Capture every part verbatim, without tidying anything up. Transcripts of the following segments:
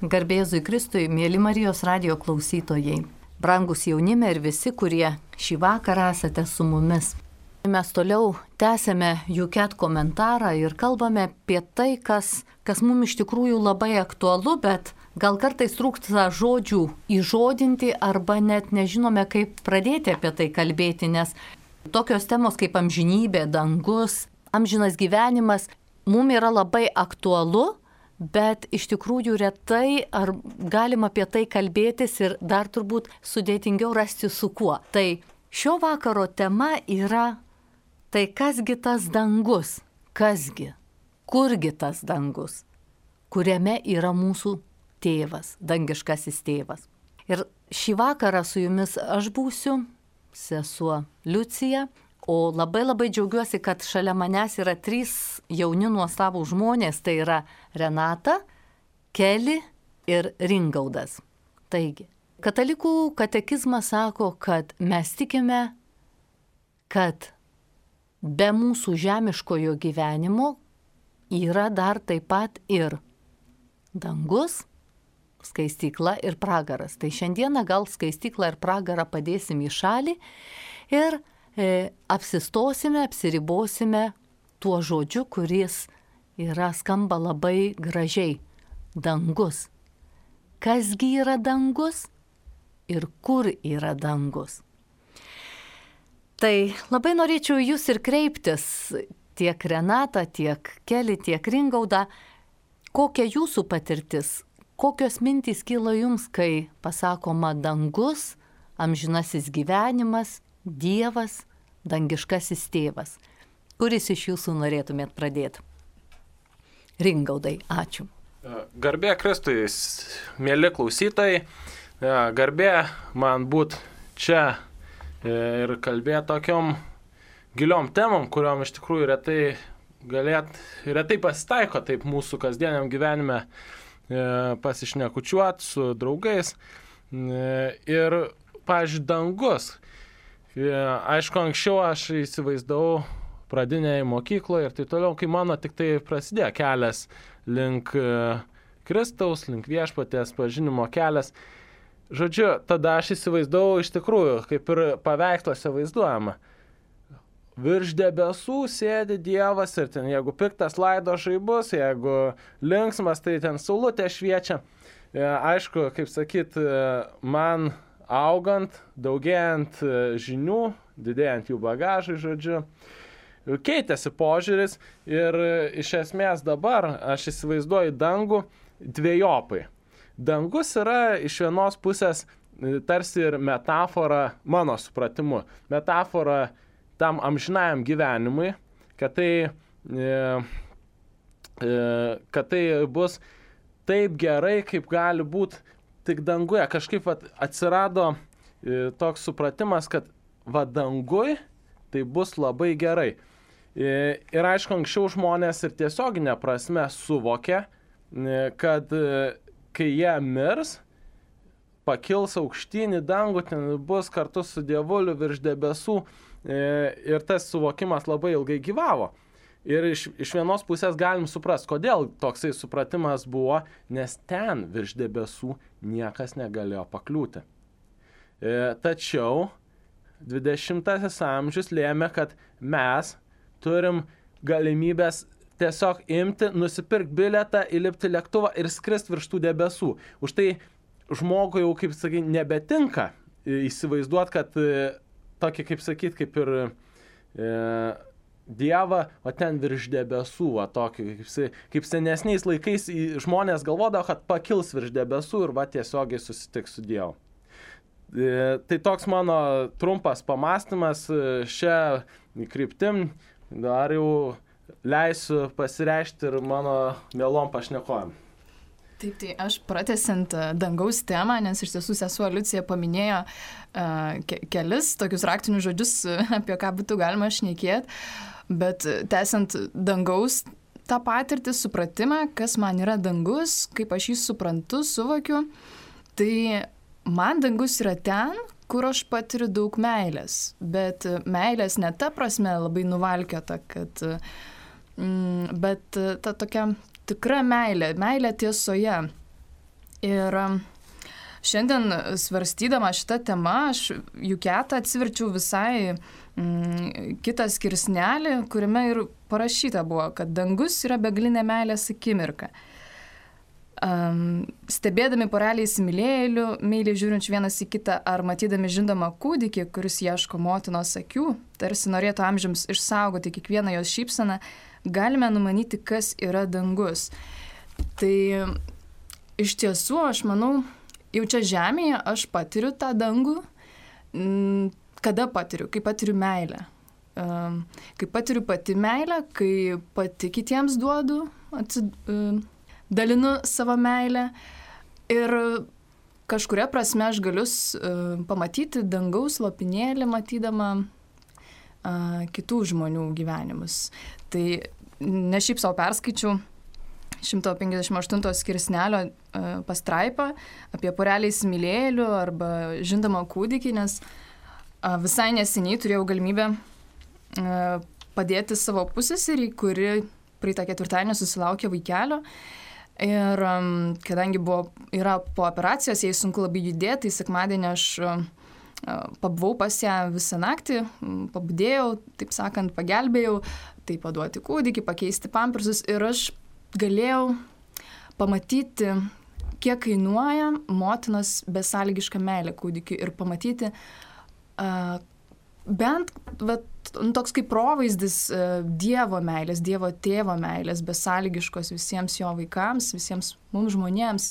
Garbė Jėzui Kristui, mėly Marijos radijo klausytojai, brangus jaunime ir visi, kurie šį vakarą esate su mumis. Mes toliau tęsėme Juket komentarą ir kalbame apie tai, kas, kas mums iš tikrųjų labai aktualu, bet gal kartais trūksta žodžių įžodinti arba net nežinome, kaip pradėti apie tai kalbėti, nes tokios temos kaip amžinybė, dangus, amžinas gyvenimas mums yra labai aktualu, bet iš tikrųjų retai ar galima apie tai kalbėtis ir dar turbūt sudėtingiau rasti su kuo. Tai šio vakaro tema yra tai kasgi tas dangus, kasgi, kurgi tas dangus, kuriame yra mūsų tėvas, dangiškasis tėvas. Ir šį vakarą su jumis aš būsiu, sesuo Liucija, o labai labai džiaugiuosi, kad šalia manęs yra trys jauni nuostabų žmonės, tai yra Renata, Keli ir Ringaudas. Taigi, katalikų katekizmas sako, kad mes tikime, kad be mūsų žemiškojo gyvenimo yra dar taip pat ir dangus, skaistykla ir pragaras. Tai šiandieną gal skaistyklą ir pragarą padėsim į šalį ir e, apsistosime, apsiribosime tuo žodžiu, kuris yra skamba labai gražiai. Dangus. Kasgi yra dangus ir kur yra dangus? Tai labai norėčiau jūs ir kreiptis, tiek Renata, tiek Keli, tiek Ringauda, kokia jūsų patirtis, kokios mintys kyla jums, kai pasakoma dangus, amžinasis gyvenimas, Dievas, dangiškasis tėvas. Kuris iš jūsų norėtumėt pradėti? Ringaudai, ačiū. Garbė Kristui, mėly klausytojai, garbė man būt čia ir kalbėti tokiom giliom temom, kuriuom iš tikrųjų retai, galėt, retai pasitaiko taip mūsų kasdieniam gyvenime pasišnekučiuoti su draugais. Ir, pavyzdžiui, dangus. Aišku, anksčiau aš įsivaizdavau pradinėje mokykloje ir tai toliau, kai mano tik tai prasidėjo kelias link Kristaus, link viešpaties pažinimo kelias. Žodžiu, tada aš įsivaizdavau iš tikrųjų, kaip ir paveiksluose vaizduojama. Virš debesų sėdi Dievas ir ten, jeigu piktas laido žaibus, jeigu linksmas, tai ten saulutė šviečia. Aišku, kaip sakyt, man augant, daugėjant žinių, didėjant jų bagažui, žodžiu, keitėsi požiūris ir iš esmės dabar aš įsivaizduoju dangų dvejopai. Dangus yra iš vienos pusės tarsi ir metafora, mano supratimu, metafora tam amžinajam gyvenimui, kad tai, kad tai bus taip gerai, kaip gali būti tik danguje. Kažkaip vat, atsirado toks supratimas, kad va dangui tai bus labai gerai. Ir aišku, anksčiau žmonės ir tiesioginė prasme suvokė, kad kai jie mirs, pakils aukštyn į dangų, ten bus kartu su Dievuliu virš debesų ir tas suvokimas labai ilgai gyvavo. Ir iš, iš vienos pusės galim suprasti, kodėl toksai supratimas buvo, nes ten virš debesų niekas negalėjo pakliūti. Tačiau dvidešimtasis amžius lėmė, kad mes turim galimybės tiesiog imti, nusipirkti bilietą, įlipti lėktuvą ir skristi virš tų debesų. Už tai žmogui jau, kaip sakyt, nebetinka įsivaizduoti, kad tokį, kaip sakyt, kaip ir e, Dievą, o ten virš debesų, va, tokį, kaip, kaip senesniais laikais žmonės galvodavo, kad pakils virš debesų ir va tiesiogiai susitiks su Dievu. E, tai toks mano trumpas pamastymas šią kryptim, dar jau leisiu pasireikšti ir mano mielom pašnekovėm. Taip, tai aš pratęsiant dangaus temą, nes iš tiesų sesuo Liucija paminėjo uh, ke- kelis tokius raktinius žodžius, apie ką būtų galima šnekėti, bet tęsiant dangaus tą patirtį, supratimą, kas man yra dangus, kaip aš jį suprantu, suvokiu, tai man dangus yra ten, kur aš patiriu daug meilės, bet meilės ne ta prasme labai nuvalkiota, kad, mm, bet ta tokia tikra meilė, meilė tiesoje. Ir šiandien svarstydama šitą temą, aš Juketą atsiverčiau visai mm, kitą skirsnelį, kuriame ir parašyta buvo, kad dangus yra begalinė meilės akimirka. Um, stebėdami porelį įsimylėjėlių, meiliai žiūrinčių vienas į kitą, ar matydami žindomą kūdikį, kuris ieško motinos akių, tarsi norėtų amžiams išsaugoti kiekvieną jos šypseną, galime numanyti, kas yra dangus. Tai iš tiesų, aš manau, jau čia žemėje aš patiriu tą dangų. Kada patiriu? Kai patiriu meilę. Um, kai patiriu pati meilę, kai pati kitiems duodu, atsid... Um, dalinu savo meilę ir kažkuria prasme aš galiu uh, pamatyti dangaus lopinėlį, matydama uh, kitų žmonių gyvenimus. Tai ne šiaip savo perskaičiau šimtas penkiasdešimt aštunto skirsnelio uh, pastraipą apie porelį įsimylėjėlių arba žindomą kūdikį, nes uh, visai neseniai turėjau galimybę uh, padėti savo pusseserį, kuri praeitą ketvirtadienį susilaukė vaikelio. Ir um, kadangi buvo, yra po operacijos, jai sunku labai judėti, tai sekmadienį aš uh, pabuvau pas ją visą naktį, pabudėjau, taip sakant, pagelbėjau, tai paduoti kūdikį, pakeisti pampersus ir aš galėjau pamatyti, kiek kainuoja motinos besąlygiška meilė kūdikiui ir pamatyti uh, bent vat, toks kaip provaizdis Dievo meilės, Dievo tėvo meilės, besąlygiškos visiems jo vaikams, visiems mums žmonėms.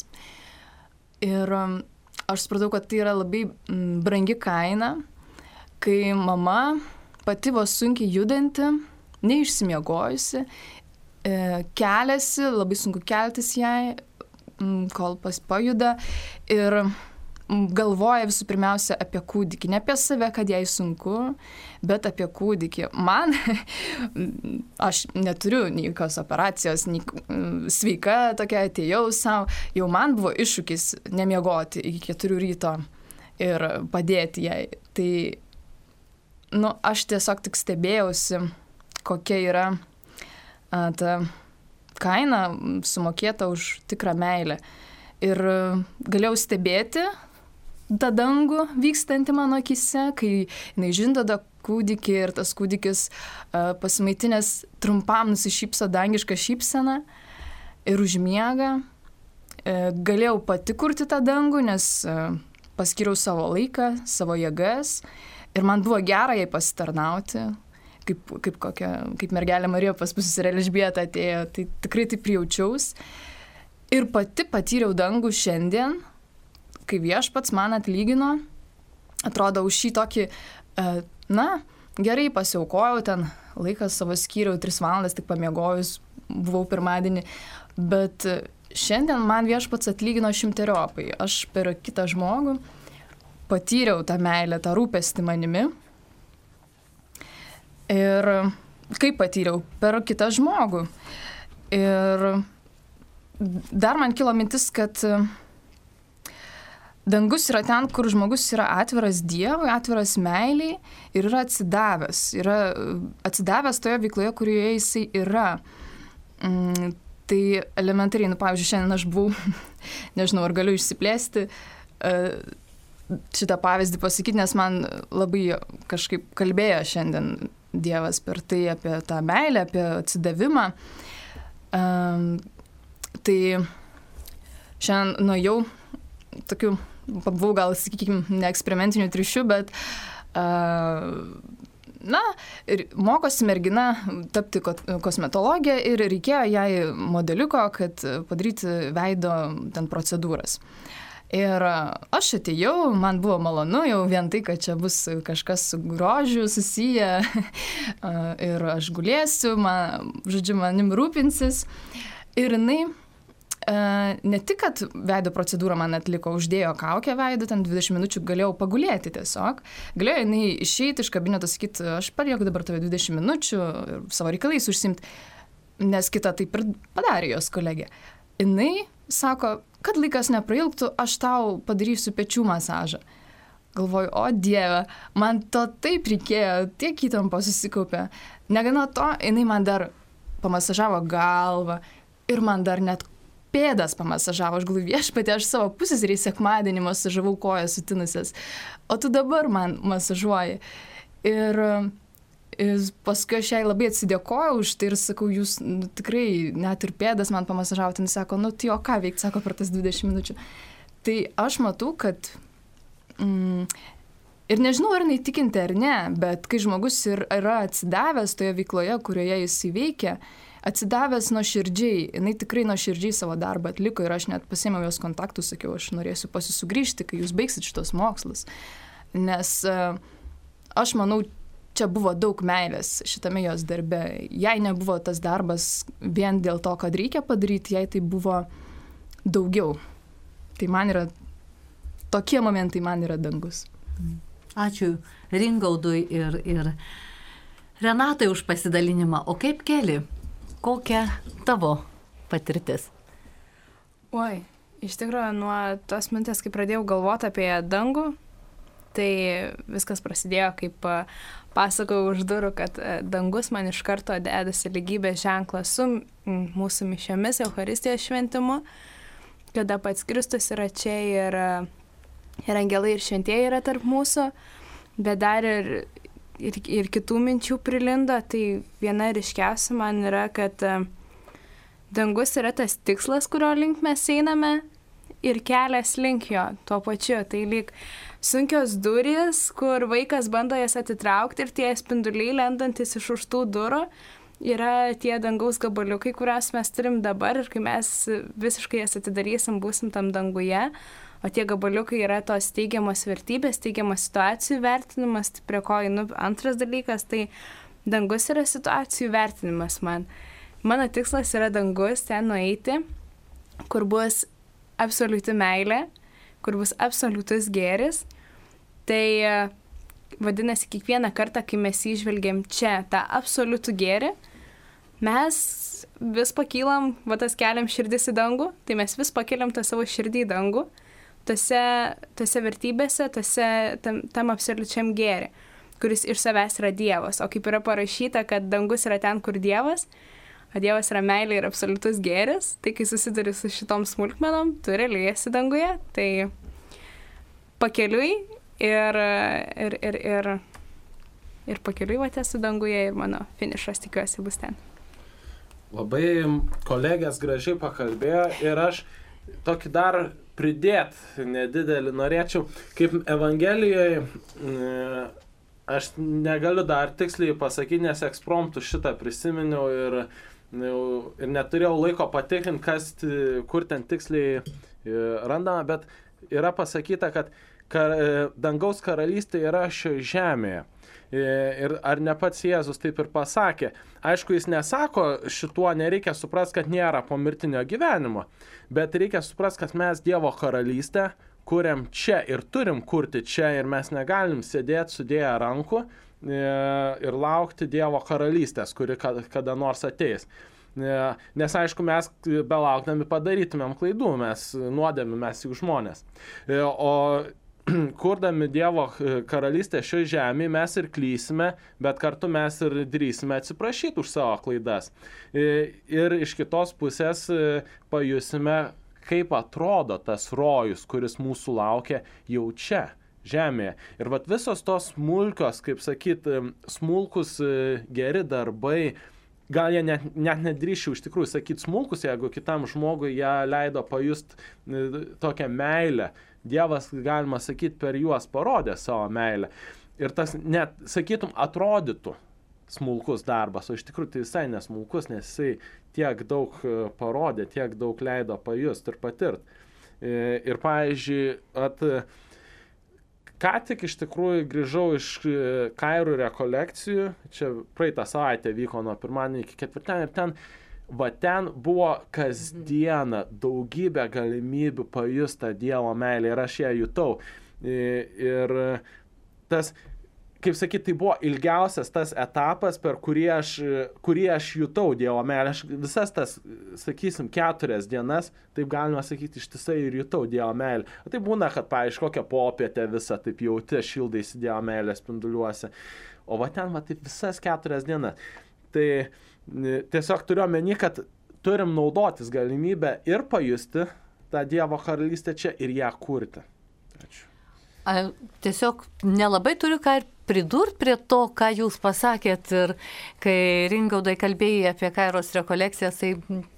Ir aš supratau, kad tai yra labai brangi kaina, kai mama pati vos sunkiai judanti, neišsimiegojusi, keliasi, labai sunku keltis jai, kol pas pajuda ir galvoja visų pirmiausia apie kūdikį, ne apie save, kad jai sunku, bet apie kūdikį. Man, aš neturiu nei jokios operacijos, nei sveika tokia, atėjau savo, jau man buvo iššūkis nemiegoti iki keturių ryto ir padėti jai. Tai, nu, aš tiesiog tik stebėjausi, kokia yra a, ta kaina sumokėta už tikrą meilę. Ir galėjau stebėti tą dangų vykstantį mano akise, kai jinai žindoda kūdikį ir tas kūdikis uh, pasimaitinęs trumpam nusišypso dangišką šypseną ir užmiega. Uh, galėjau pati kurti tą dangų, nes uh, paskyriau savo laiką, savo jėgas ir man buvo gera jai pasitarnauti, kaip, kaip, kokia, kaip mergelė Marija pas pusseserę Elžbietą atėjo, tai tikrai taip jaučiaus. Ir pati patyriau dangų šiandien, kai viešpats man atlygino, atrodo, už šį tokį, na, gerai pasiaukojau, ten laiką savo skyriau, tris valandas tik pamiegojus, buvau pirmadienį, bet šiandien man viešpats atlygino šimteriopai. Aš per kitą žmogų patyriau tą meilę, tą rūpestį manimi. Ir kaip patyriau? Per kitą žmogų. Ir dar man kilo mintis, kad dangus yra ten, kur žmogus yra atviras Dievui, atviras meiliai ir yra atsidavęs. Yra atsidavęs toje veikloje, kurioje jisai yra. Mm, tai elementariai, nu, pavyzdžiui, šiandien aš buvau, nežinau, ar galiu išsiplėsti uh, šitą pavyzdį pasakyti, nes man labai kažkaip kalbėjo šiandien Dievas per tai apie tą meilę, apie atsidavimą. Um, tai šiandien nuėjau tokiu, pabuvau gal, sakykime, ne eksperimentiniu triušiu, bet uh, na, ir mokosi mergina tapti kosmetologė ir reikėjo jai modeliuko, kad padaryti veido ten procedūras. Ir aš atėjau, man buvo malonu jau vien tai, kad čia bus kažkas su grožiu susiję ir aš gulėsiu, man, žodžiu, manim rūpinsis. Ir jinai ne tik, kad veido procedūrą man atliko, uždėjo kaukę veido, ten dvidešimt minučių galėjau pagulėti tiesiog. Galėjo jinai išeiti iš kabineto, sakyti, aš palieku dabar tave dvidešimt minučių ir savo reikalais užsimti, nes kita taip ir padarė jos kolegė. Jinai sako, kad laikas neprailgtų, aš tau padarysiu pečių masažą. Galvoju, o Dieve, man to taip reikėjo, tiek įtampo susikaupė. Negana to, jinai man dar pamasažavo galvą ir man dar net pėdas pamasažavo, aš galvoju, viešpatie, aš savo pusseserei sekmadienį masažavau kojas sutinusias, o tu dabar man masažuoji. Ir, ir paskui aš jai labai atsidėkojau už tai ir sakau, jūs nu, tikrai net ir pėdas man pamasažavote, jis sako, nu tai o ką veikti, sako, per tas dvidešimt minučių. Tai aš matau, kad mm, ir nežinau, ar neįtikinti ar ne, bet kai žmogus ir yra atsidavęs toje veikloje, kurioje jis įveikia, atsidavęs nuoširdžiai, jinai tikrai nuoširdžiai savo darbą atliko ir aš net pasėmiau jos kontaktus, sakiau, aš norėsiu pas jus sugrįžti, kai jūs baigsit šitos mokslus. Nes uh, aš manau, čia buvo daug meilės šitame jos darbe. Jai nebuvo tas darbas vien dėl to, kad reikia padaryti, jai tai buvo daugiau. Tai man yra, tokie momentai man yra dangus. Ačiū Ringaudui ir, ir Renatai už pasidalinimą. O kaip Keli? Kokia tavo patirtis? Oi, iš tikrųjų, nuo tos minties, kai pradėjau galvoti apie dangų, tai viskas prasidėjo, kaip pasakojau už durų, kad dangus man iš karto dedasi lygybės ženklą su mūsų mišiomis, Eucharistijos šventimu, kada pats Kristus yra čia ir, ir angelai ir šventieji yra tarp mūsų, bet dar ir, ir, ir kitų minčių prilindo. Tai viena ryškiausia man yra, kad dangus yra tas tikslas, kurio link mes einame, ir kelias link jo tuo pačiu. Tai lyg sunkios durys, kur vaikas bando jas atitraukti ir tie spinduliai lendantis iš už tų durų yra tie dangaus gabaliukai, kuriuos mes turim dabar ir kai mes visiškai jas atidarysim, būsim tam danguje. O tie gabaliukai yra tos teigiamos vertybės, teigiamos situacijų vertinimas, tai prie ko einu antras dalykas, tai dangus yra situacijų vertinimas man. Mano tikslas yra dangus ten nueiti, kur bus absoliuti meilė, kur bus absoliutus gėris. Tai vadinasi, kiekvieną kartą, kai mes įžvelgiam čia tą absoliutų gėrį, mes vis pakylam, va tas keliam širdis į dangų, tai mes vis pakeliam tą savo širdį į dangų, tose, tose vertybėse, tose, tam, tam absoliučiam gėrį, kuris iš savęs yra Dievas. O kaip yra parašyta, kad dangus yra ten, kur Dievas, o Dievas yra meilė ir absoliutus gėris, tai kai susiduri su šitom smulkmenom, tu realiai esi danguje, tai pakeliui ir, ir, ir, ir, ir pakeliui va esu danguje ir mano finišas tikiuosi bus ten. Labai kolegės gražiai pakalbėjo ir aš tokį dar pridėt nedidelį norėčiau, kaip Evangelijoje, aš negaliu dar tiksliai pasakyti, nes ekspromptų šitą prisiminiau ir ir neturėjau laiko patikrinti, kas, kur ten tiksliai randama, bet yra pasakyta, kad kar, dangaus karalystė yra šioje žemėje. Ir ar ne pats Jėzus taip ir pasakė. Aišku, jis nesako, šituo nereikia suprasti, kad nėra pomirtinio gyvenimo, bet reikia suprasti, kad mes Dievo karalystę kuriam čia ir turim kurti čia ir mes negalim sėdėti sudėję rankų ir laukti Dievo karalystės, kuri kada nors ateis. Nes aišku, mes belaukdami padarytumėm klaidų, mes nuodėmi, mes juk žmonės. O kurdami Dievo karalystę šioje žemėje mes ir klysime, bet kartu mes ir drįsime atsiprašyti už savo klaidas. Ir iš kitos pusės pajusime, kaip atrodo tas rojus, kuris mūsų laukia jau čia, žemėje. Ir vat visos tos smulkios, kaip sakyt, smulkus geri darbai, gal jie net, net nedrįšiu iš tikrųjų sakyti smulkus, jeigu kitam žmogui ją leido pajust tokią meilę. Dievas, galima sakyti, per juos parodė savo meilę. Ir tas net, sakytum, atrodytų smulkus darbas, o iš tikrųjų tai visai nesmulkus, nes jisai tiek daug parodė, tiek daug leido pajust ir patirt. Ir, pavyzdžiui, at, ką tik iš tikrųjų grįžau iš Kairų rekolekcijų, čia praeitą savaitę vyko nuo pirmadienio iki ketvirtadienio, ir ten va ten buvo kasdieną daugybė galimybių pajust tą Dievo meilę ir aš ją jutau. Ir tas, kaip sakyti, tai buvo ilgiausias tas etapas, per kurį aš, kurį aš jutau Dievo meilę. Aš visas tas, sakysim, keturias dienas, taip galima sakyti, ištisai ir jutau Dievo meilę. O tai būna, kad, pavyzdžiui, kokią popietę visą taip jauti, šildaisi Dievo meilę spinduliuose. O va ten, va taip visas keturias dienas. Tai tiesiog turiu omeny, kad turim naudotis galimybę ir pajusti tą Dievo karalystę čia ir ją kurti. Ačiū. A, tiesiog nelabai turiu ką ir pridurti prie to, ką jūs pasakėt. Ir kai Ringaudai kalbėjai apie Kairos rekolekcijas, tai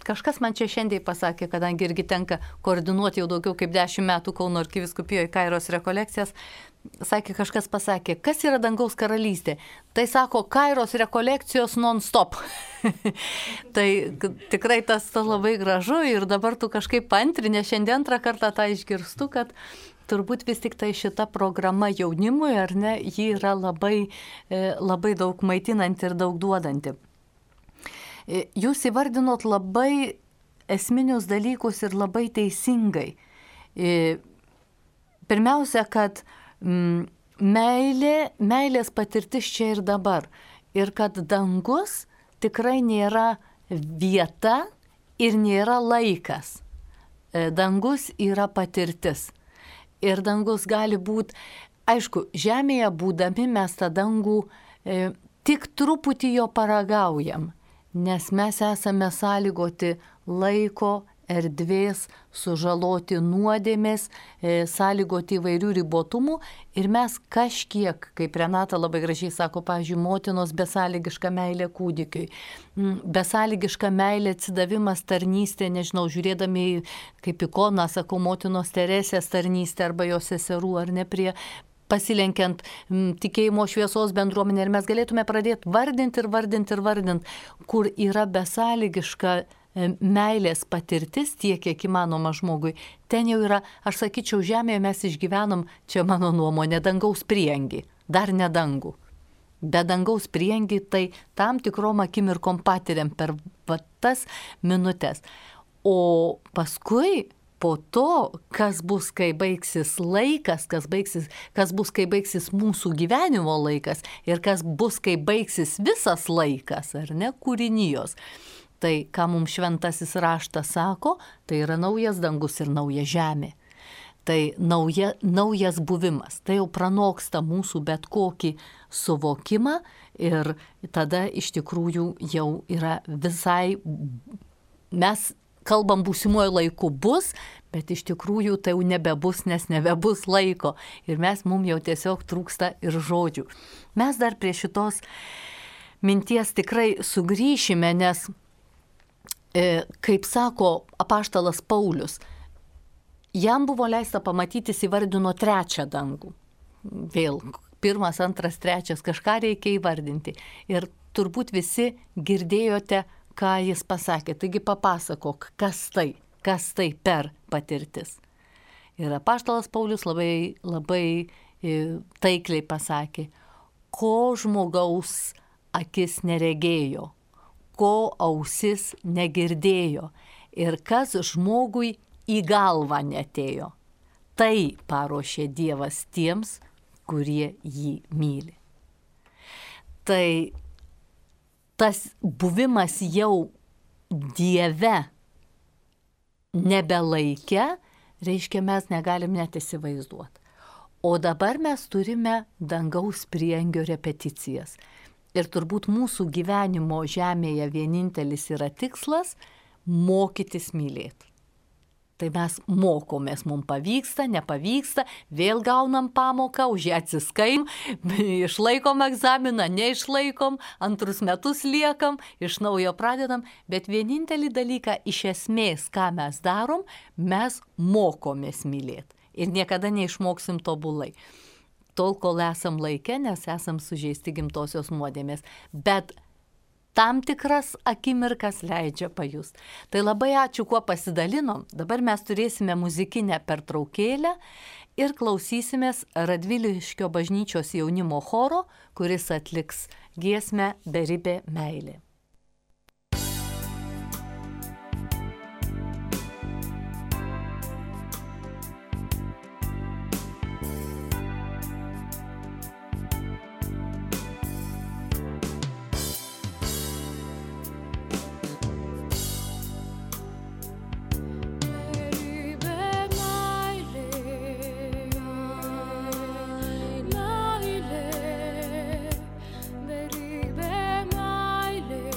kažkas man čia šiandien pasakė, kadangi irgi tenka koordinuoti jau daugiau kaip dešimt metų Kauno arkivyskupijoje Kairos rekolekcijas. Sakė, kažkas pasakė, kas yra dangaus karalystė? Tai sako, Kairos rekolekcijos non-stop. Tai tikrai tas, tas labai gražu ir dabar tu kažkaip paantrinė, šiandien antrą kartą tą išgirstu, kad turbūt vis tik tai šita programa jaunimui, ar ne, ji yra labai, labai daug maitinanti ir daug duodanti. Jūs įvardinot labai esminius dalykus ir labai teisingai. Pirmiausia, kad mm, meilė, meilės patirtis čia ir dabar. Ir kad dangus tikrai nėra vieta ir nėra laikas. Dangus yra patirtis. Ir dangus gali būti, aišku, žemėje būdami mes tą dangų e, tik truputį jo paragaujam, nes mes esame sąlygoti laiko, erdvės, sužaloti nuodėmės, e, sąlygoti įvairių ribotumų ir mes kažkiek, kaip Renata labai gražiai sako, pavyzdžiui, motinos besąlygiška meilė kūdikiui, besąlygiška meilė atsidavimas tarnystė, nežinau, žiūrėdami kaip ikoną, sakau, motinos Teresės tarnystė arba jos seserų, ar ne, prie pasilenkiant m, tikėjimo šviesos bendruomenė ir mes galėtume pradėti vardinti ir vardinti ir vardinti, kur yra besąlygiška meilės patirtis tiek, kiek įmanoma žmogui. Ten jau yra, aš sakyčiau, žemėje mes išgyvenam, čia mano nuomonė, dangaus priengį, dar ne dangų. Be dangaus priengį tai tam tikrom akimirkom patiriam per va, tas minutės. O paskui, po to, kas bus, kai baigsis laikas, kas, baigsis, kas bus, kai baigsis mūsų gyvenimo laikas ir kas bus, kai baigsis visas laikas, ar ne, kūrinijos. Tai, ką mums šventasis raštas sako, tai yra naujas dangus ir nauja žemė. Tai nauja, naujas buvimas. Tai jau pranoksta mūsų bet kokį suvokimą ir tada iš tikrųjų jau yra visai, mes kalbam būsimuoju laiku bus, bet iš tikrųjų tai jau nebebus, nes nebebus laiko. Ir mes mums jau tiesiog trūksta ir žodžių. Mes dar prie šitos minties tikrai sugrįšime, nes kaip sako apaštalas Paulius, jam buvo leista pamatyti, jis įvardino trečią dangų. Vėl, pirmas, antras, trečias, kažką reikia įvardinti. Ir turbūt visi girdėjote, ką jis pasakė. Taigi papasakok, kas tai, kas tai per patirtis. Ir apaštalas Paulius labai, labai taikliai pasakė, ko žmogaus akis neregėjo, ko ausis negirdėjo ir kas žmogui į galvą netėjo. Tai paruošė Dievas tiems, kurie jį myli. Tai tas buvimas jau Dieve nebelaike, reiškia, mes negalim net įsivaizduoti. O dabar mes turime dangaus priengio repeticijas. Ir turbūt mūsų gyvenimo žemėje vienintelis yra tikslas – mokytis mylėti. Tai mes mokomės, mums pavyksta, nepavyksta, vėl gaunam pamoką, už ją atsiskaim, išlaikom egzaminą, neišlaikom, antrus metus liekam, iš naujo pradedam, bet vienintelį dalyką iš esmės, ką mes darom, mes mokomės mylėti. Ir niekada neišmoksim tobulai. Tol, kol esam laike, nes esam sužeisti gimtosios nuodėmės. Bet tam tikras akimirkas leidžia pajust. Tai labai ačiū, kuo pasidalinom. Dabar mes turėsime muzikinę pertraukėlę ir klausysimės Radviliškio bažnyčios jaunimo choro, kuris atliks giesmę Beribė meilė. Beribė meilė.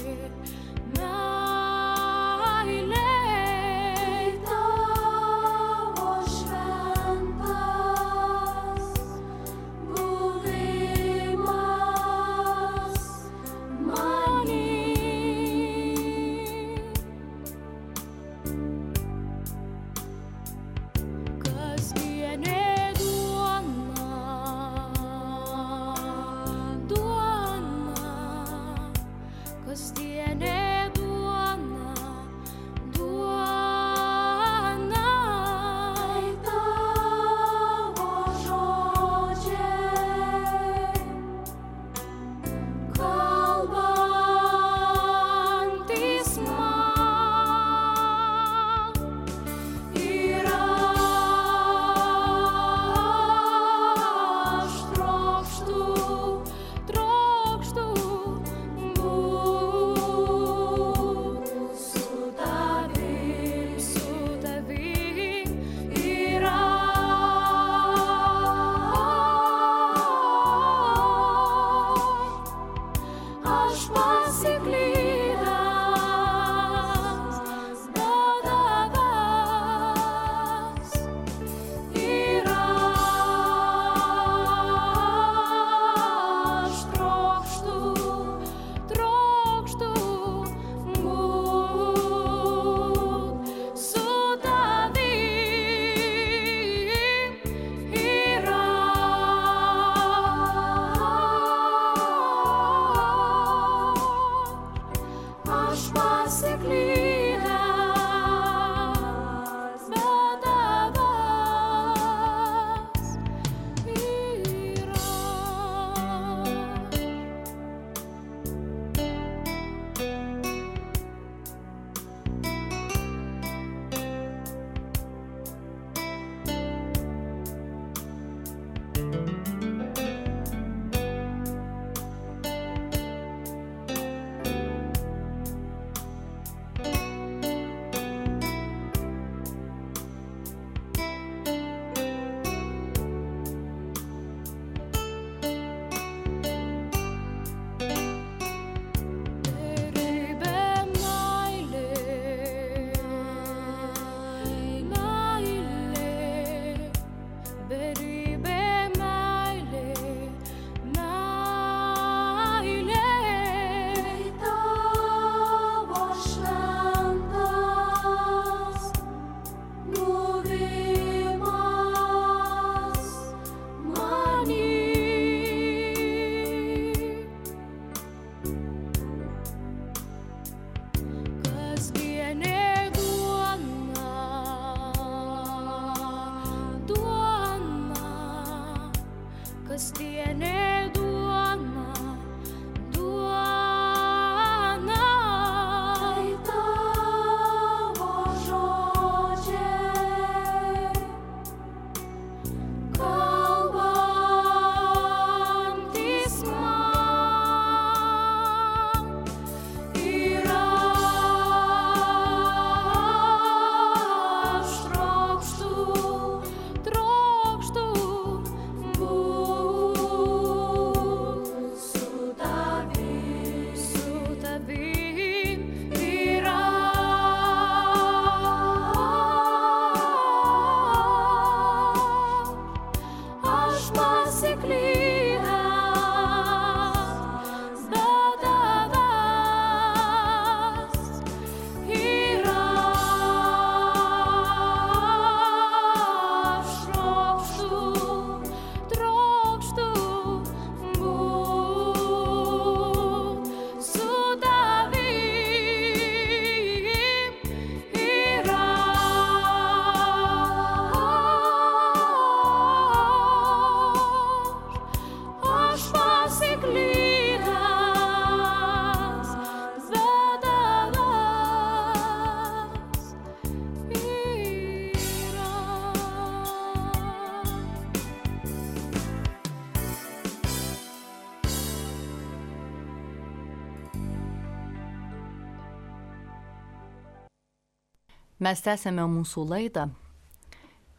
Mes tęsėme mūsų laidą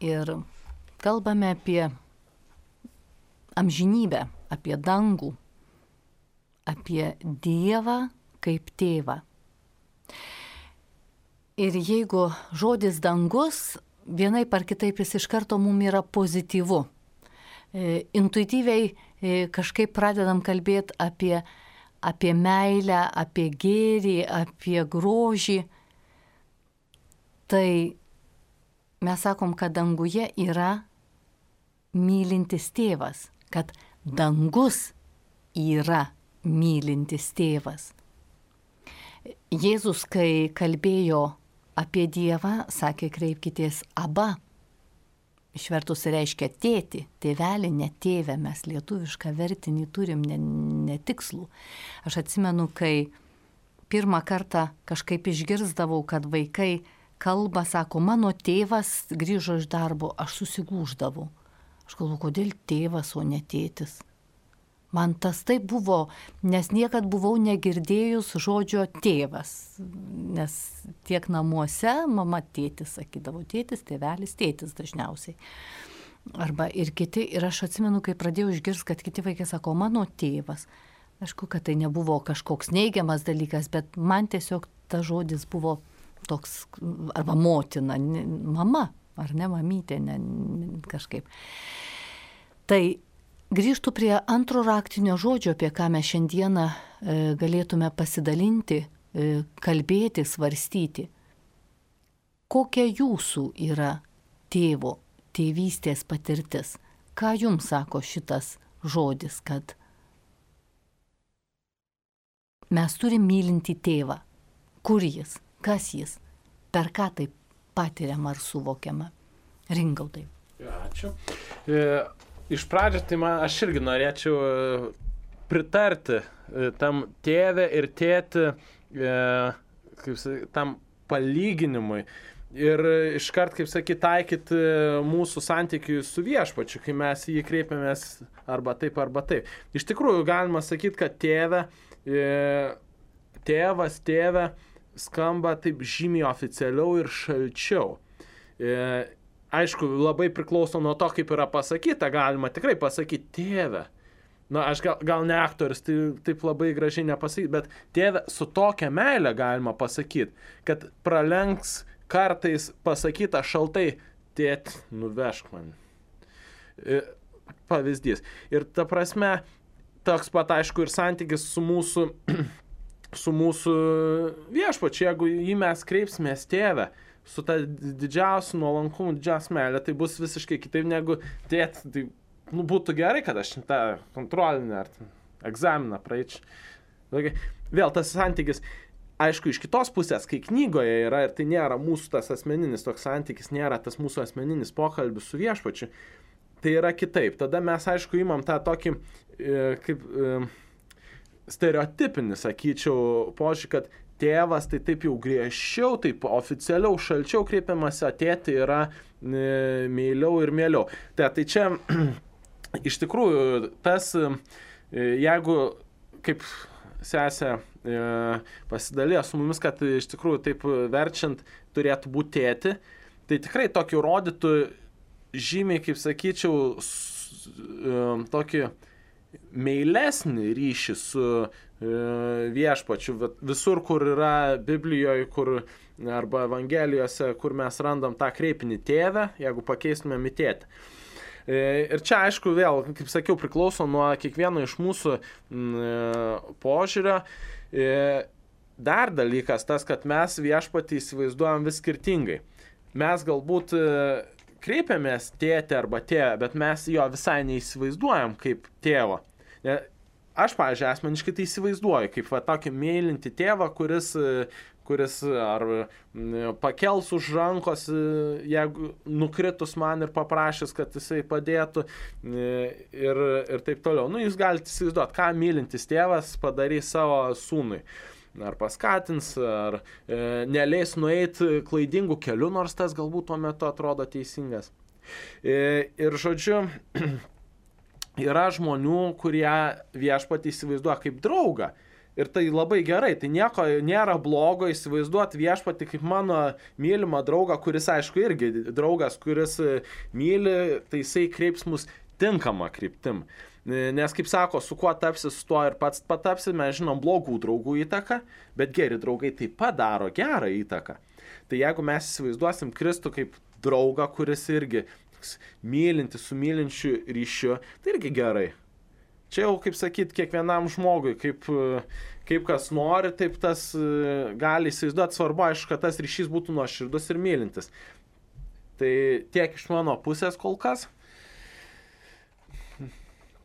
ir kalbame apie amžinybę, apie dangų, apie Dievą kaip tėvą. Ir jeigu žodis dangus, vienaip ar kitaip jis iš karto mums yra pozityvu. E, intuityviai e, kažkaip pradedam kalbėti apie, apie meilę, apie gėrį, apie grožį. Tai mes sakom, kad danguje yra mylintis tėvas, kad dangus yra mylintis tėvas. Jėzus, kai kalbėjo apie Dievą, sakė, kreipkitės Aba. Išvertus reiškia tėti, tėvelį, ne tėvę, mes lietuvišką vertinį turim netikslų. Ne Aš atsimenu, kai pirmą kartą kažkaip išgirsdavau, kad vaikai kalba, sako, mano tėvas grįžo iš darbo, aš susigūždavau. Aš galvoju, kodėl tėvas, o ne tėtis. Man tas taip buvo, nes niekad buvau negirdėjus žodžio tėvas, nes tiek namuose mama tėtis sakydavo, tėtis, tėvelis, tėtis dažniausiai. Arba ir kiti, ir aš atsimenu, kai pradėjau išgirsti, kad kiti vaikai sako, mano tėvas. Aišku, kad tai nebuvo kažkoks neigiamas dalykas, bet man tiesiog tas žodis buvo toks, arba motina, mama, ar ne mamytė, ne, kažkaip. Tai grįžtų prie antro raktinio žodžio, apie ką mes šiandieną e, galėtume pasidalinti, e, kalbėti, svarstyti. Kokia jūsų yra tėvo, tėvystės patirtis? Ką jums sako šitas žodis, kad mes turim mylinti tėvą? Kur jis? Kas jis? Per ką tai patiriam ar suvokiama? Ringaudai. Ačiū. E... Iš pradžio, tai man, aš irgi norėčiau pritarti tam tėvė ir tėti, e, kaip, tam palyginimui. Ir iškart, kaip sakyti, taikyti mūsų santykiui su viešpačiu, kai mes jį kreipiamės arba taip, arba taip. Iš tikrųjų, galima sakyti, kad tėvė, e, tėvas, tėvė skamba taip žymiai oficialiau ir šalčiau. E, Aišku, labai priklauso nuo to, kaip yra pasakyta, galima tikrai pasakyti tėvę. Na, aš gal, gal ne aktorius, tai taip labai gražiai nepasakyti, bet tėvę su tokia meile galima pasakyti, kad pralenks kartais pasakyta šaltai, tėt, nuvežk man. Pavyzdys. Ir ta prasme, toks pat aišku ir santykis su mūsų, su mūsų viešpačiu, jeigu jį mes kreipsimės tėvę, su ta didžiausiu nuolankumu, didžiausia meilė, tai bus visiškai kitaip negu tėt, tai nu, būtų gerai, kad aš tą kontrolinį ar egzaminą praeičiau. Vėl tas santykis, aišku, iš kitos pusės, kai knygoje yra, ir tai nėra mūsų tas asmeninis toks santykis, nėra tas mūsų asmeninis pokalbis su viešpačiu, tai yra kitaip. Tada mes, aišku, imam tą tokį, kaip stereotipinį, sakyčiau, požiūrį, kad tėvas tai taip jau griežčiau, taip oficialiau, šalčiau kreipiamas, o tėti yra e, meiliau ir mieliau. Tai, tai čia iš tikrųjų tas, e, jeigu kaip sesė e, pasidalėjo su mumis, kad iš tikrųjų taip verčiant turėtų būti tėti, tai tikrai tokį rodytų žymiai, kaip sakyčiau, s, e, tokį meilesnį ryšį su viešpačiu. Visur, kur yra Biblijoje, kur, arba Evangelijose, kur mes randam tą kreipinį tėvę, jeigu pakeistumėm į tėtį. Ir čia, aišku, vėl, kaip sakiau, priklauso nuo kiekvieno iš mūsų požiūrio. Dar dalykas tas, kad mes viešpatį įsivaizduojam vis skirtingai. Mes galbūt kreipiamės tėtį arba tėvę, bet mes jo visai neįsivaizduojam kaip tėvo. Aš, pavyzdžiui, asmeniškai tai įsivaizduoju, kaip va, tokį meilinti tėvą, kuris, kuris ar pakels už rankos, jeigu nukritus man ir paprašys, kad jisai padėtų ir, ir taip toliau. Nu, jūs galite įsivaizduoti, ką mylintis tėvas padarys savo sūnui. Ar paskatins, ar e, neleis nueiti klaidingų kelių, nors tas galbūt tuo metu atrodo teisingas. E, ir žodžiu, yra žmonių, kurie viešpatį įsivaizduoja kaip draugą, Ir tai labai gerai, tai nieko nėra blogo įsivaizduoti viešpatį kaip mano mylimą draugą, kuris, aišku, irgi draugas, kuris myli, tai jisai kreips mus tinkamą kryptim. Nes, kaip sako, su kuo tapsi, su tuo ir pats patapsi, mes žinom blogų draugų įtaką, bet geri draugai taip pat daro gerą įtaką. Tai jeigu mes įsivaizduosim Kristų kaip draugą, kuris irgi mylinti su mylinčiu ryšiu, tai irgi gerai. Čia jau, kaip sakyt, kiekvienam žmogui, kaip, kaip kas nori, taip tas gali įsivaizduoti. Svarbu, aišku, kad tas ryšys būtų nuoširdus ir mylintis. Tai tiek iš mano pusės kol kas.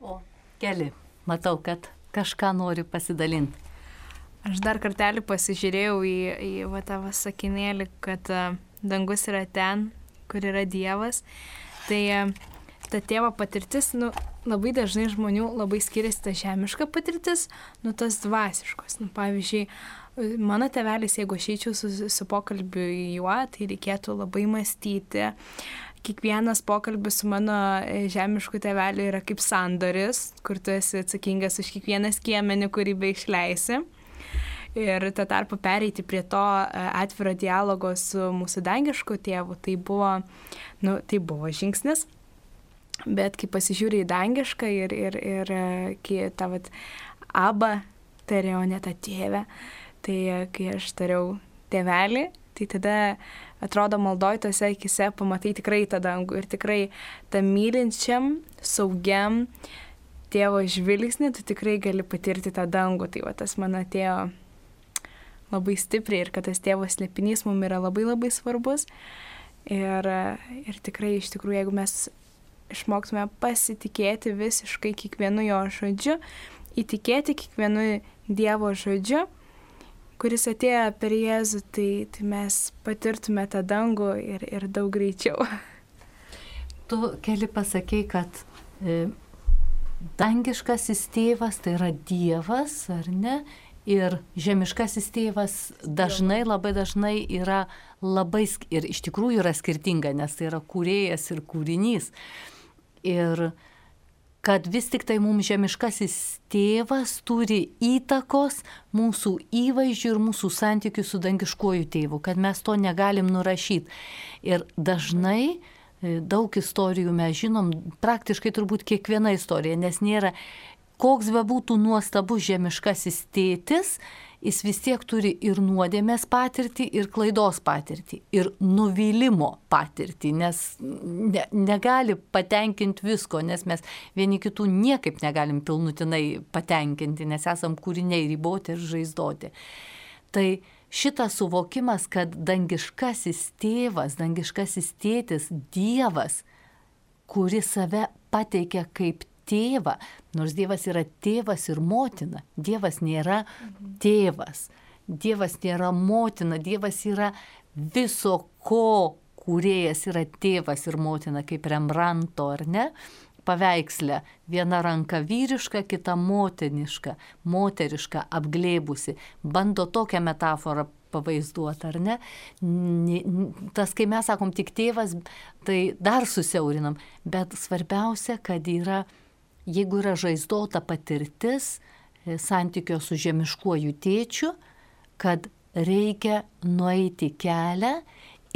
O, Keli, matau, kad kažką nori pasidalinti. Aš dar kartelį pasižiūrėjau į, į va, tavo sakinėlį, kad uh, dangus yra ten, kur yra Dievas. Tai uh, ta tėvo patirtis, nu, labai dažnai žmonių labai skiriasi ta žemiška patirtis, nu, tas dvasiškos. Nu, pavyzdžiui, mano tėvelis, jeigu aš eičiau su, su pokalbiu į juo, tai reikėtų labai mąstyti. Kiekvienas pokalbis su mano žemišku tėveliu yra kaip sandoris, kur tu esi atsakingas už kiekvieną skiemenį, kurį be išleisi. Ir tą tarpą pereiti prie to atviro dialogo su mūsų dangišku tėvu, tai buvo, nu, tai buvo žingsnis. Bet kai pasižiūrė į dangišką ir, ir, ir kai tą vat abą tariau, ne tą tėvę, tai kai aš tariau tėvelį, tai tada atrodo maldoj tose akise pamatai tikrai tą dangų ir tikrai tą mylinčiam, saugiam tėvo žvilgsnį, tu tikrai gali patirti tą dangų. Tai va tas man atėjo labai stipriai ir kad tas tėvo slėpinys mums yra labai labai svarbus. Ir, ir tikrai iš tikrųjų, jeigu mes išmoktume pasitikėti visiškai kiekvienu jo žodžiu, įtikėti kiekvienu Dievo žodžiu, kuris atėjo per Jėzų, tai, tai mes patirtume tą dangų ir, ir daug greičiau. Tu, Keli, pasakei, kad e, dangiškasis tėvas tai yra Dievas, ar ne? Ir žemiškasis tėvas dažnai, labai dažnai yra labai, ir iš tikrųjų yra skirtinga, nes tai yra kūrėjas ir kūrinys. Ir kad vis tik tai mums žemiškasis tėvas turi įtakos mūsų įvaizdžių ir mūsų santykių su dangiškuoju tėvu, kad mes to negalim nurašyti. Ir dažnai daug istorijų mes žinom, praktiškai turbūt kiekviena istorija, nes nėra, koks be būtų nuostabus žemiškasis tėtis, jis vis tiek turi ir nuodėmės patirtį, ir klaidos patirtį, ir nuvylimo patirtį, nes ne, negali patenkinti visko, nes mes vieni kitų niekaip negalim pilnutinai patenkinti, nes esam kūriniai riboti ir žaizdoti. Tai šitas suvokimas, kad dangiškasis tėvas, dangiškasis tėtis, Dievas, kuris save pateikia kaip tėvą, nors Dievas yra tėvas ir motina. Dievas nėra tėvas, Dievas nėra motina, Dievas yra viso ko kūrėjas, yra tėvas ir motina, kaip Rembranto, ar ne? Paveiksle, viena ranka vyriška, kita motiniška, moteriška, apglėbusi. Bando tokią metaforą pavaizduoti, ar ne? Tas, kai mes sakom tik tėvas, tai dar susiaurinam, bet svarbiausia, kad yra, jeigu yra žaizdota patirtis santykio su žemiškuoju tėčiu, kad reikia nueiti kelią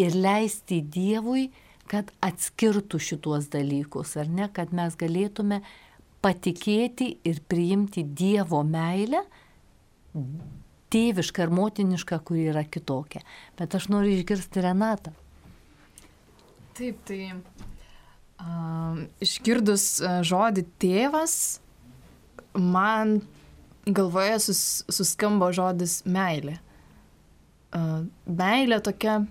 ir leisti Dievui, kad atskirtų šituos dalykus, ar ne, kad mes galėtume patikėti ir priimti Dievo meilę, tėvišką ir motinišką, kuri yra kitokia. Bet aš noriu išgirsti Renatą. Taip, tai uh, išgirdus uh, žodį tėvas, man galvoje sus, suskambo žodis meilė. Uh, meilė tokia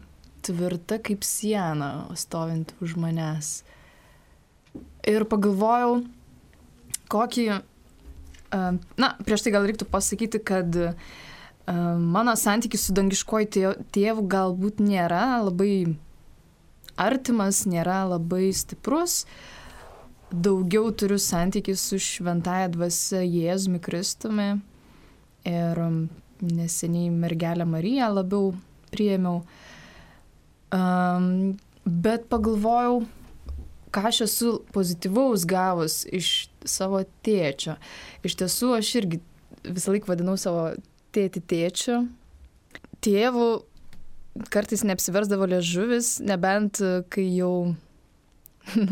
tvirta kaip siena, stovint už manęs. Ir pagalvojau, kokį, uh, na, prieš tai gal reiktų pasakyti, kad uh, mano santykis su dangiškuoju tėvu galbūt nėra labai artimas, nėra labai stiprus. Daugiau turiu santykį su šventąja dvasia Jėzumi Kristumi ir neseniai mergelę Mariją labiau priėmiau. Um, bet pagalvojau, ką aš esu pozityvaus gavus iš savo tėčio. Iš tiesų, aš irgi visą laiką vadinau savo tėtį tėčiu. Tėvų kartais neapsiversdavo liežuvis, nebent kai jau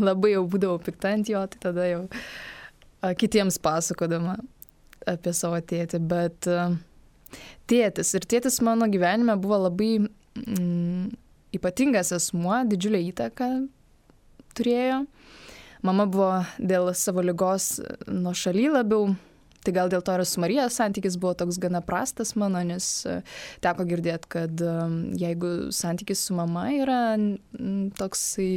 labai jau būdavau pikta ant jo, tai tada jau a, kitiems pasakodama apie savo tėtį. Bet a, tėtis ir tėtis mano gyvenime buvo labai mm, ypatingas asmuo, didžiulę įtaką turėjo. Mama buvo dėl savo ligos nuošaly labiau, tai gal dėl to ir su Marija santykis buvo toks gana prastas mano, nes teko girdėti, kad jeigu santykis su mama yra toksai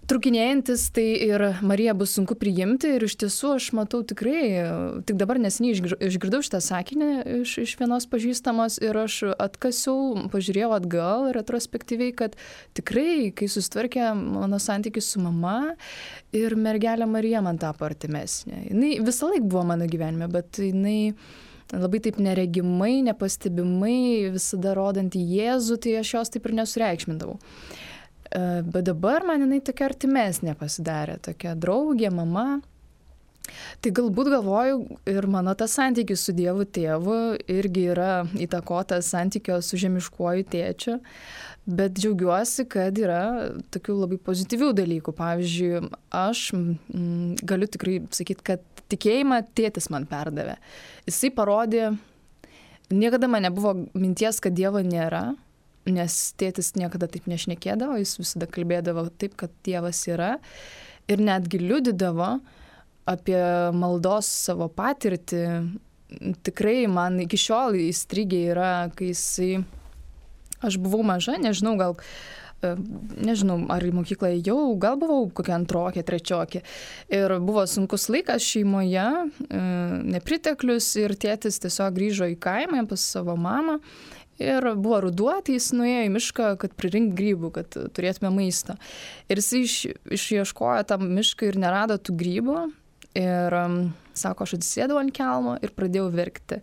trukinėjantis, tai ir Mariją bus sunku priimti ir iš tiesų aš matau tikrai, tik dabar neseniai išgirdau šitą sakinį iš, iš vienos pažįstamos ir aš atkasiau, pažiūrėjau atgal retrospektyviai, kad tikrai, kai susitvarkė mano santykis su mama ir mergelė Marija man tapo artimesnė. Jinai visą laiką buvo mano gyvenime, bet jinai labai taip neregimai, nepastebimai, visada rodant į Jėzų, tai aš jos taip ir nesureikšmindavau. Bet dabar man jinai tokia artimesnė pasidarė, tokia draugė, mama. Tai galbūt galvoju ir mano tas santykis su Dievu tėvu irgi yra įtakotas santykio su žemiškuoju tėčiu, bet džiaugiuosi, kad yra tokių labai pozityvių dalykų. Pavyzdžiui, aš m, galiu tikrai sakyti, kad tikėjimą tėtis man perdavė. Jisai parodė, niekada man nebuvo minties, kad Dievo nėra, nes tėtis niekada taip nešnekėdavo, jis visada kalbėdavo taip, kad Dievas yra ir netgi liudydavo apie maldos savo patirtį. Tikrai man iki šiol įstrigė yra, kai jisai, aš buvau maža, nežinau, gal, nežinau, ar į mokyklą jau, gal buvau kokia antrokė, trečiokė. Ir buvo sunkus laikas šeimoje, nepriteklius ir tėtis tiesiog grįžo į kaimą pas savo mamą. Ir buvo ruduo, tai jis nuėjo į mišką, kad pririnkti grybų, kad turėtume maistą. Ir jis iš, išieškojo tą mišką ir nerado tų grybų. Ir um, sako, aš atsisėdau ant kelmo ir pradėjau verkti.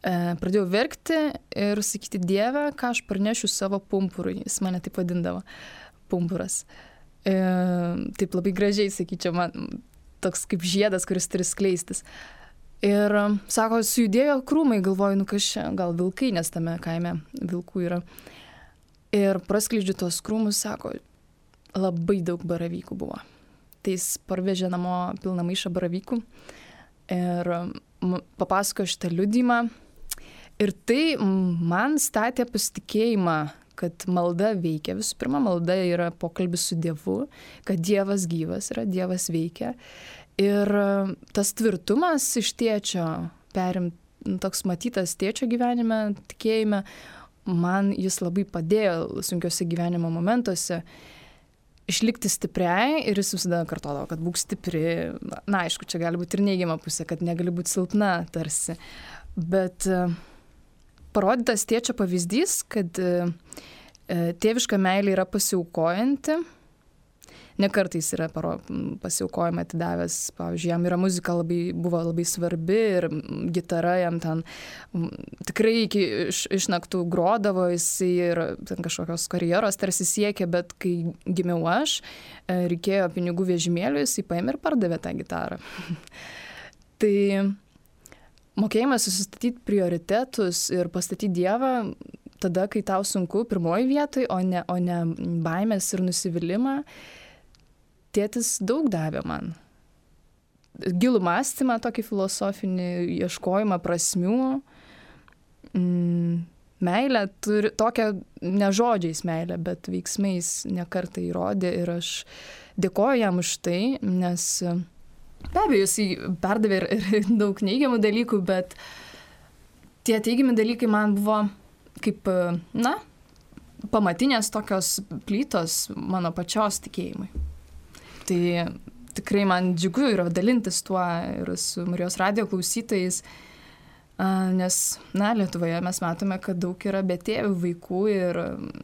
E, pradėjau verkti ir sakyti, Dieve, ką aš parnešiu savo pumpurui. Jis mane taip vadindavo, pumpuras. E, taip labai gražiai, sakyčiau, man toks kaip žiedas, kuris turi skleistis. Ir sako, sujudėjo krūmai, galvoju, nu kas čia, gal vilkai, nes tame kaime vilkų yra. Ir praskleidžiu tos krūmus, sako, labai daug baravykų buvo. Tai jis parvežė namo pilną maišą baravykų ir papasakojo šitą liudymą. Ir tai man statė pasitikėjimą, kad malda veikia. Visų pirma, malda yra pokalbis su Dievu, kad Dievas gyvas yra, Dievas veikia. Ir tas tvirtumas iš tėčio, perim, toks matytas tėčio gyvenime, tikėjime, man jis labai padėjo sunkiuose gyvenimo momentuose išlikti stipriai ir jis visada kartodavo, kad būk stipri. Na, aišku, čia gali būti ir neigiama pusė, kad negali būti silpna tarsi. Bet parodytas tėčio pavyzdys, kad tėviška meilė yra pasiaukojanti. Ne kartais yra pasiaukojimą atidavęs, pavyzdžiui, jam yra muzika labai, buvo labai svarbi ir gitara jam ten tikrai iki iš, iš naktų grodavo, jis ir ten kažkokios karjeros tarsi siekė, bet kai gimiau aš, reikėjo pinigų vežimėliui, jis paėmė ir pardavė tą gitarą. Tai mokėjimas susistatyti prioritetus ir pastatyti Dievą tada, kai tau sunku, pirmoji vietoj, o ne, o ne baimės ir nusivylimą. Tėtis daug davė man. Gilų mąstymą, tokį filosofinį ieškojimą prasmių. Mm, meilę, turi, tokią ne žodžiais meilę, bet veiksmais nekartą įrodė ir aš dėkoju jam už tai, nes be abejo, jis perdavė ir, ir daug neigiamų dalykų, bet tie teigiami dalykai man buvo kaip, na, pamatinės tokios plytos mano pačios tikėjimui. Tai tikrai man džiugu yra dalintis tuo ir su Marijos radijo klausytojais, nes, na, Lietuvoje mes matome, kad daug yra betėvių vaikų ir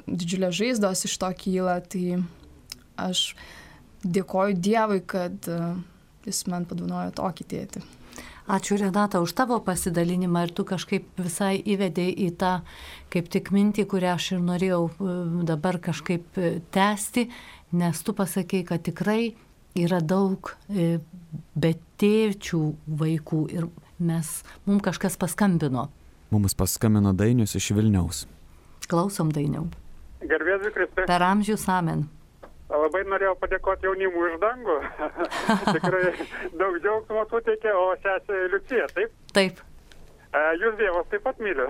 didžiulės žaizdos iš to kyla, tai aš dėkoju Dievui, kad jis man padovanojo tokį tėtį. Ačiū, Renata, už tavo pasidalinimą ir tu kažkaip visai įvedei į tą kaip tik mintį, kurią aš ir norėjau dabar kažkaip tęsti, nes tu pasakei, kad tikrai yra daug betėčių vaikų ir mes, mums kažkas paskambino. Mums paskambino Dainius iš Vilniaus. Klausom, Dainiau. Garbėsiu Kristui. Per amžius amen. Labai norėjau padėkoti jaunimui už dangų. Tikrai daug džiaugsmo suteikė, o sesė Liucija, taip? Taip. Jūs Dievas taip pat myli.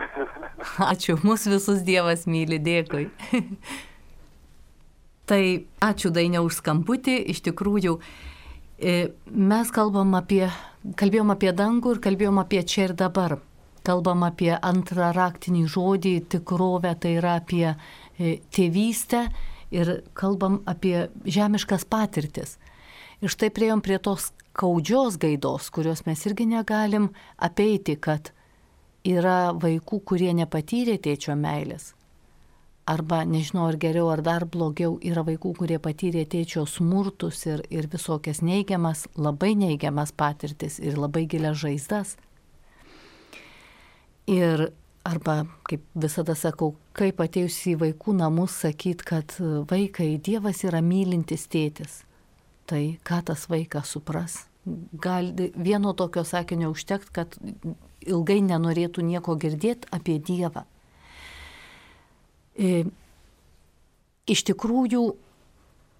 Ačiū, mūsų visus Dievas myli, dėkui. Tai ačiū Dainiau už skambutį, iš tikrųjų mes kalbam apie, kalbėjom apie dangų ir kalbėjom apie čia ir dabar. Kalbam apie antrą raktinį žodį, tikrovę, tai yra apie tėvystę ir kalbam apie žemiškas patirtis. Ir štai priejom prie tos skaudžios gaidos, kurios mes irgi negalim apeiti, kad yra vaikų, kurie nepatyrė tėčio meilės. Arba, nežinau, ar geriau, ar dar blogiau, yra vaikų, kurie patyrė tėčio smurtus ir, ir visokias neigiamas, labai neigiamas patirtis ir labai gilias žaizdas. Ir arba, kaip visada sakau, kaip atėjus į vaikų namus sakyt, kad vaikai, Dievas yra mylintis tėtis. Tai ką tas vaikas supras? Gal vieno tokio sakinio užtekt, kad ilgai nenorėtų nieko girdėti apie Dievą. E, iš tikrųjų,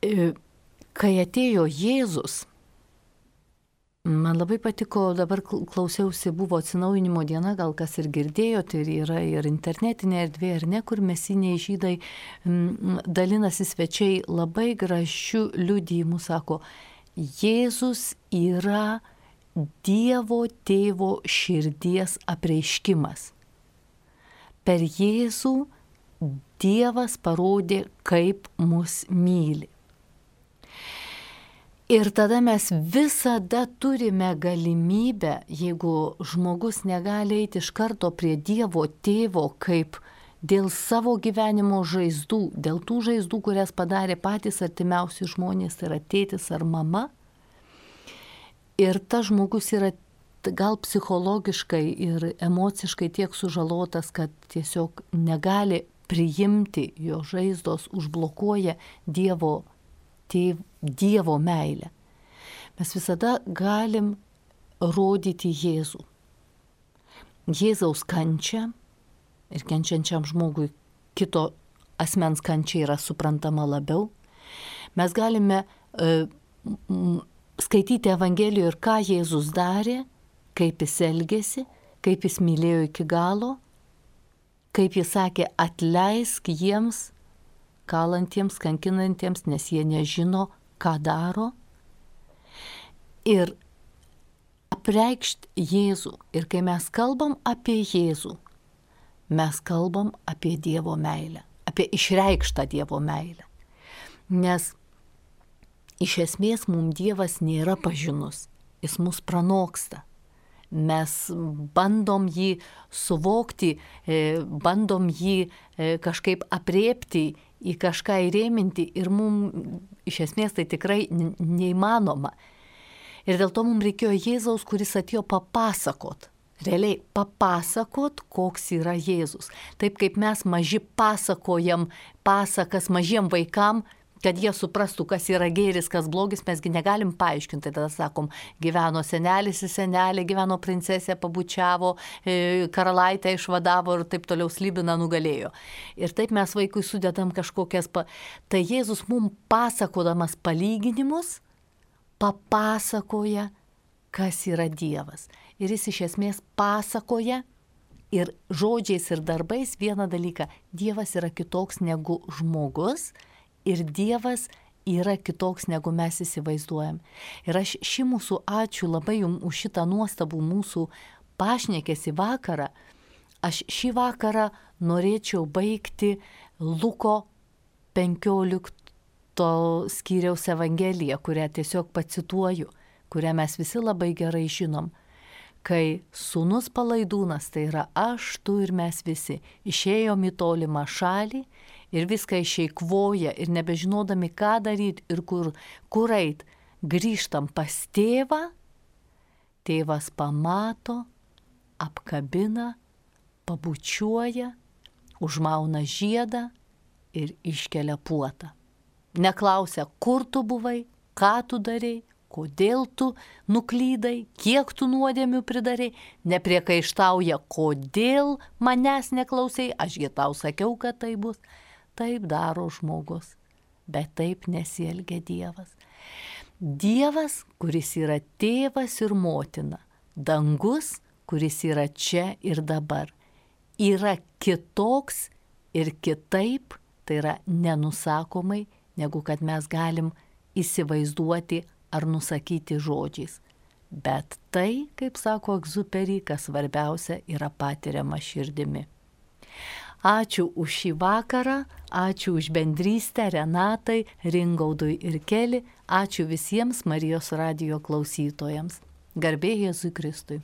e, kai atėjo Jėzus, man labai patiko, dabar klausiausi, buvo atsinaujinimo diena, gal kas ir girdėjote, ir yra ir internetinė erdvė, ar ne, kur mesiniai žydai m, dalinasi svečiai labai gražių liudijimų, sako, Jėzus yra Dievo tėvo širdies apreiškimas. Per Jėzų Dievas parodė, kaip mus myli. Ir tada mes visada turime galimybę, jeigu žmogus negali eiti iš karto prie Dievo tėvo, kaip dėl savo gyvenimo žaizdų, dėl tų žaizdų, kurias padarė patys artimiausi žmonės, tai yra tėtis ar mama. Ir tas žmogus yra gal psichologiškai ir emociškai tiek sužalotas, kad tiesiog negali priimti, jo žaizdos užblokuoja Dievo, tėv, dievo meilę. Mes visada galim rodyti Jėzų. Jėzaus kančia ir kenčiančiam žmogui kito asmens kančia yra suprantama labiau. Mes galime uh, m, skaityti Evangelijoje ir ką Jėzus darė, kaip jis elgėsi, kaip jis mylėjo iki galo, kaip jis sakė, atleisk jiems, kalantiems, kankinantiems, nes jie nežino, ką daro. Ir apreikšt Jėzų. Ir kai mes kalbam apie Jėzų, mes kalbam apie Dievo meilę, apie išreikštą Dievo meilę. Nes iš esmės mums Dievas nėra pažinus, jis mus pranoksta. Mes bandom jį suvokti, bandom jį kažkaip apriepti, į kažką įrėminti ir mums iš esmės tai tikrai neįmanoma. Ir dėl to mums reikėjo Jėzaus, kuris atėjo papasakot, realiai papasakot, koks yra Jėzus. Taip kaip mes maži pasakojam pasakas mažiem vaikam, kad jie suprastų, kas yra gėris, kas blogis, mesgi negalim paaiškinti. Tada sakom, gyveno senelis ir senelė, gyveno princesė, pabučiavo, karalaitę išvadavo ir taip toliau Slibiną nugalėjo. Ir taip mes vaikui sudedam kažkokias... Pa... Tai Jėzus mums pasakodamas palyginimus papasakoja, kas yra Dievas. Ir jis iš esmės pasakoja ir žodžiais ir darbais vieną dalyką. Dievas yra kitoks negu žmogus. Ir Dievas yra kitoks, negu mes įsivaizduojam. Ir aš šį mūsų ačiū labai jums už šitą nuostabų mūsų pašnekesį vakarą. Aš šį vakarą norėčiau baigti Luko penkiolikto skyriaus Evangeliją, kurią tiesiog pacituoju, kurią mes visi labai gerai žinom. Kai sūnus palaidūnas, tai yra aš, tu ir mes visi, išėjom į tolimą šalį, ir viską išeikvoja ir nebežinodami, ką daryti ir kur, kur eit, grįžtam pas tėvą, tėvas pamato, apkabina, pabučiuoja, užmauna žiedą ir iškelia puotą. Neklausia, kur tu buvai, ką tu darei, kodėl tu nuklydai, kiek tu nuodėmių pridarai, nepriekaištauja, kodėl manęs neklausai, ašgi tau sakiau, kad tai bus. Taip daro žmogus, bet taip nesielgia Dievas. Dievas, kuris yra tėvas ir motina, dangus, kuris yra čia ir dabar, yra kitoks ir kitaip, tai yra nenusakomai, negu kad mes galim įsivaizduoti ar nusakyti žodžiais. Bet tai, kaip sako Egziuperi, kas svarbiausia, yra patiriama širdimi. Ačiū už šį vakarą, ačiū už bendrystę Renatai, Ringaudui ir Keli, ačiū visiems Marijos radijo klausytojams. Garbė Jėzui Kristui.